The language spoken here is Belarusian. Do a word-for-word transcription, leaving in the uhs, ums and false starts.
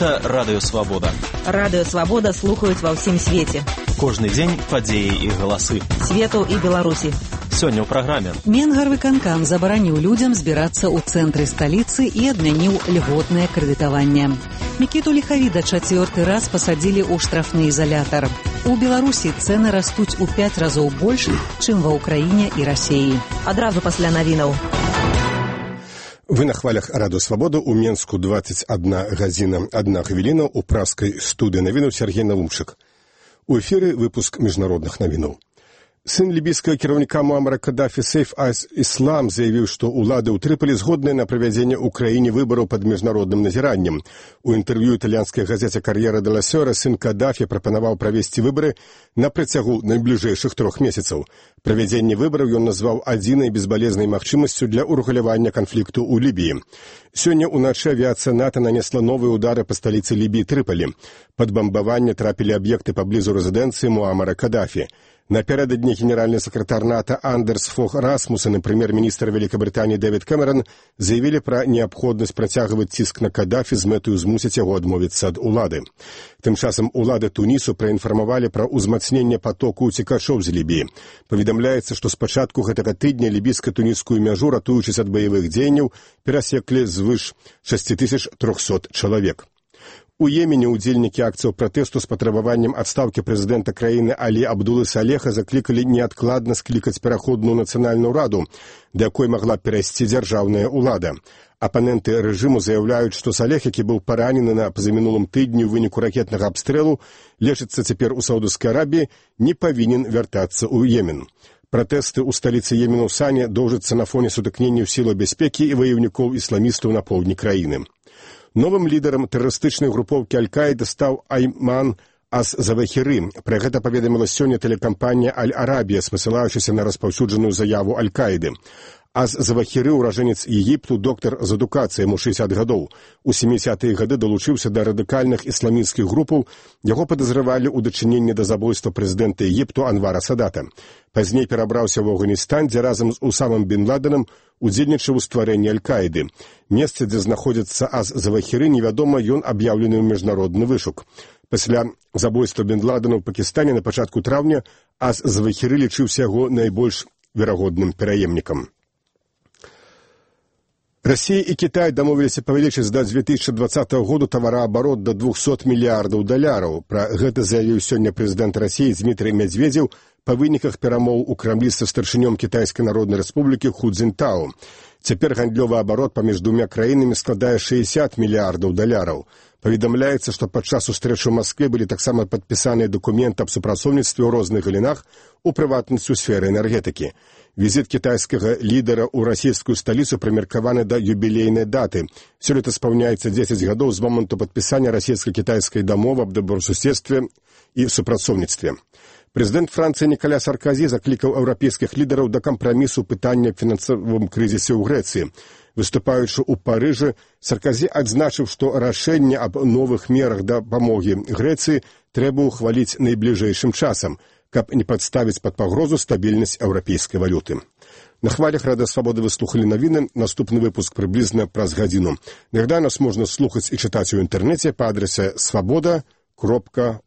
Гэта Радыё Свабода. Радыё Свабода слухаюць ва ўсім свеце. Кожны дзень падзеі і галасы. Свету і Беларусі. Сёння ў праграме. Менгарвыканкам забараніў людзям збірацца ў цэнтры сталіцы і адмяніў льготнае крэдытаванне. Мікіту Ліхавіда чацвёрты раз пасадзілі ў штрафны изолятор. У Беларусі цэны растуць у пяць разоў больш, чым ва Ўкраіне і Расіі. Адразу пасля навінаў. Вы на хвалях Радыё Свабода. У Менску двадцать одна гадзіна одна хвіліна. У праскай студыі навінаў Сергей Налумчык. У эфіры выпуск міжнародных навінаў. Сын лібійскага кіраўніка Муамара Каддафі Сейф аль-Іслам заявіў, што ўлады ў Трыполі згодныя на правядзенне ў краіне выбараў пад міжнародным назіраннем. У інтэрв'ю італьянскай газеце «Кар'ера де ла Сёра» сын Каддафі прапанаваў правесці выбары на працягу найбліжэйшых трох месяцаў. Правядзенне выбараў ён назваў адзінай безбалезнай магчымасцю для ўрэгулявання канфлікту ў Лібіі. Сёння ўначы авіяцыя НАТО нанесла новыя ўдары па сталіцы Лібіі Трыполі. Пад бамбаванне трапілі аб'екты паблізу рэзідэнцыі Муамара Каддафі. Напердодні генеральный секретарь НАТО Андерс Фог Расмуссен и премьер-министр Великобритании Дэвид Кэмерон заявили про необходимость протягивать ціск на Каддафі з мэтаю змусіць яго адмовіцца ад улады. Тым часам улады Тунісу праінфармавалі пра ўзмацненне потоку уцекачоў з Лібіі. Паведамляецца, што з пачатку гэтага тыдня лібійска-тунісскую мяжу, ратуючись ад баявых дзеянняў, перасеклі звыш шэсць тысяч трохсот чалавек. У Йемене удзельнікі акцыяў пратэсту з патрабаваннем адстаўкі прэзідэнта краіны Алі Абдулы Салеха заклікалі неадкладна склікаць пераходную нацыянальную раду, да якой магла перайсці дзяржаўная ўлада. Апаненты рэжыму заяўляюць, што Салех, які быў паранены на пазамінулым тыдні ў выніку ракетнага абстрэлу, лечыцца цяпер у Саудаўскай Арабіі, не павінен вяртацца ў Йемен. Пратэсты ў сталіцы Йемену Сане доўжацца на фоне сутыкненняў сілаў бяспекі і ваяўнікоў ісламістаў на поўдні краіны. Новым лідарам тэрарыстычнай групоўкі Аль-Каіда стаў Айман Ас-Завахіры. Пра гэта паведаміла сёння тэлекампанія Аль-Арабія, спасылаючыся на распаўсюджаную заяву Аль-Каіды. Ас-Завахіры, уражэнец Егіпту, доктар з адукацыяй, яму шэсцьдзесят гадоў. У сямідзесятыя гады далучыўся да радыкальных ісламісцкіх групаў, яго падазравалі ў дачыненні да забойства прэзідэнта Егіпту Анвара Садата. Пазней перабраўся ў Афганістан, дзе разам з Усамам бен Ладенам удзельнічаў у стварэнні Аль-Каіды. Месца, дзе знаходзіцца Ас-Завахіры, невядома, ён аб'яўлены ў міжнародны вышук. Пасля забойства бен Ладена ў Пакістане на пачатку траўня Ас-Завахіры лічыўся яго найбольш верагодным пераемнікам. Россия и Китай дамовіліся павялічыць да две тысячи двадцатого году тавараабарот да двухсот мільярдаў даляраў. Пра гэта заявіў сёння прэзідэнт России Дмитрий Медведев па выніках перамоў у Крамлі са старшынём Кітайскай Народнай Рэспублікі Ху Цзіньтао. Цяпер гандлёвы абарот паміж двумя краінамі складае шэсцьдесят мільярдаў даляраў. Паведамляецца, што падчас сустрэчы ў Маскве былі таксама падпісаныя дакументы аб супрацоўніцтве ў розных галінах, у прыватнасці ў сферы энергетыкі. Візіт кітайскага лідара ў расійскую сталіцу прымеркаваны да юбілейнай даты. Сёлета спаўняецца дзесяць гадоў з моманту падпісання расійска-кітайскай дамовы аб добрасуседстве і супрацоўніцтве. Прэзідэнт Францыі Ніколя Саркозі заклікаў еўрапейскіх лідараў да кампрамісу пытання аб фінансавым крызісе ў Грэцыі. Выступаючы ў Парыжы, Саркозі адзначыў, што рашэнне аб новых мерах дапамогі Грэцыі трэба ўхваліць найбліжэйшым часам, каб не падставіць пад пагрозу стабільнасць еўрапейскай валюты. На хвалях Радыё Свабоды вы слухалі навіны. Наступны выпуск прыблізна праз гадзіну. Нагадаю, нас можна слухаць і чытаць у інтэрнэце па адрасе свабода кропка